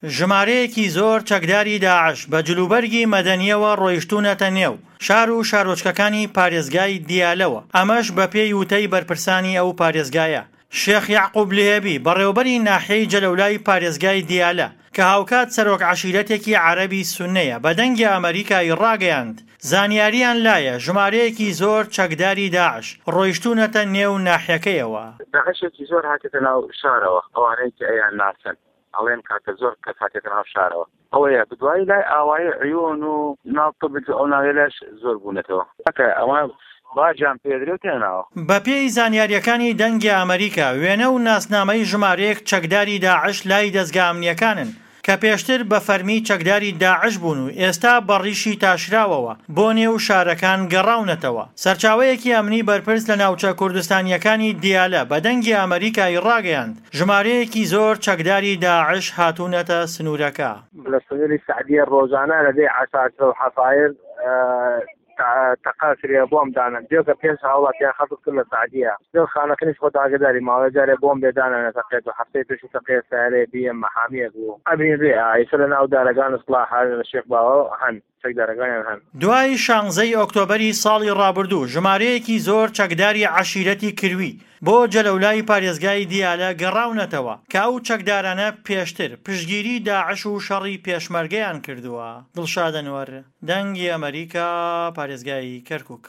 ژمارەیەکی زۆر چەکداری داعش بە جلوبەرگی مەدەنییەوە ڕۆیشتوونەتە نێو شار و شارۆچکەکانی پارێزگای دیالەوە، ئەمەش بەپێی وتەی بەرپرسانی ئەو پارێزگایە. شێخ یەعقوب لهێبی، بەڕێوەبەری ناحیەی جەلەولای پارێزگای دیالە، کە هاوکات سەرۆک عەشیرەتێکی عەرەبی سوننەیە، بە دەنگی ئەمەریکای ڕاگەیاند، زانیارییان لایە ژمارەیەکی زۆر چەکداری داعش ڕۆیشتوونەتە نێو ناحیەکەیەوە. داعشێکی زۆر هاتێتە ناو شارەوە، ئەوانەی کە ئەیانناسن ئەڵێن کاکە زۆر کەس هاتێتە ناو شارەوە. ئەوەیە بدوایی لای ئاوایی عیون و ناو طبج و ئەو ناوێلەش زۆر بوونەتەوە. کاکە ئەوان باجیان پێدرێ و تێنە ناوە. بەپێی زانیارییەکانی دەنگی ئەمەریکا، وێنە و ناسنامەی ژمارەیەک چەکداری داعش لای دەزگا ئەمنییەکانن کە پێشتر بە فەرمی چەکداری داعش بوون و ئێستا بە ڕیشی تاشراوەوە بۆ نێو شارەکان گەڕاونەتەوە. سەرچاوەیەکی ئەمنی بەرپرس لە ناوچە کوردستانییەکانی دیالە بە دەنگی ئەمەریکای ڕاگەیاند، ژمارەیەکی زۆر چەکداری داعش هاتوونەتە سنوورەکە. لە سنووری سەعدیە ڕۆژانە لە دێی عەساسرە و حەسایر تەقە کرێ بۆم دانەن جێگە پێش هاوڵاتیان خەڵک کرد لە سەعدیە لەو خانەقینیش خۆت ئاگداری ماوەیە جارێ بۆم بێ دانەنە تەقێت و هەفتەی پێشوو تەقێ سەیارەیە بی ئێم مەحامیەک بوو ئەبینرێ ئایسە لە ناو دارەگان اصلاح لە شێخ باوە هەن. چەکدارەکانیان هەن. دوای شانزەی ئۆکتۆبەری ساڵی ڕابردوو ژمارەیەکی زۆر چەکداری عەشیرەتی کروی بۆ جەلەولای پارێزگای دیالە گەڕاونەتەوە کە ئەو چەکدارانە پێشتر پشتگیری داعش و شەڕی پێشمەرگەیان کردووە. دڵشاد ئەنوەر، دەنگی ئەمەریکا، پارێزگای کەرکوک.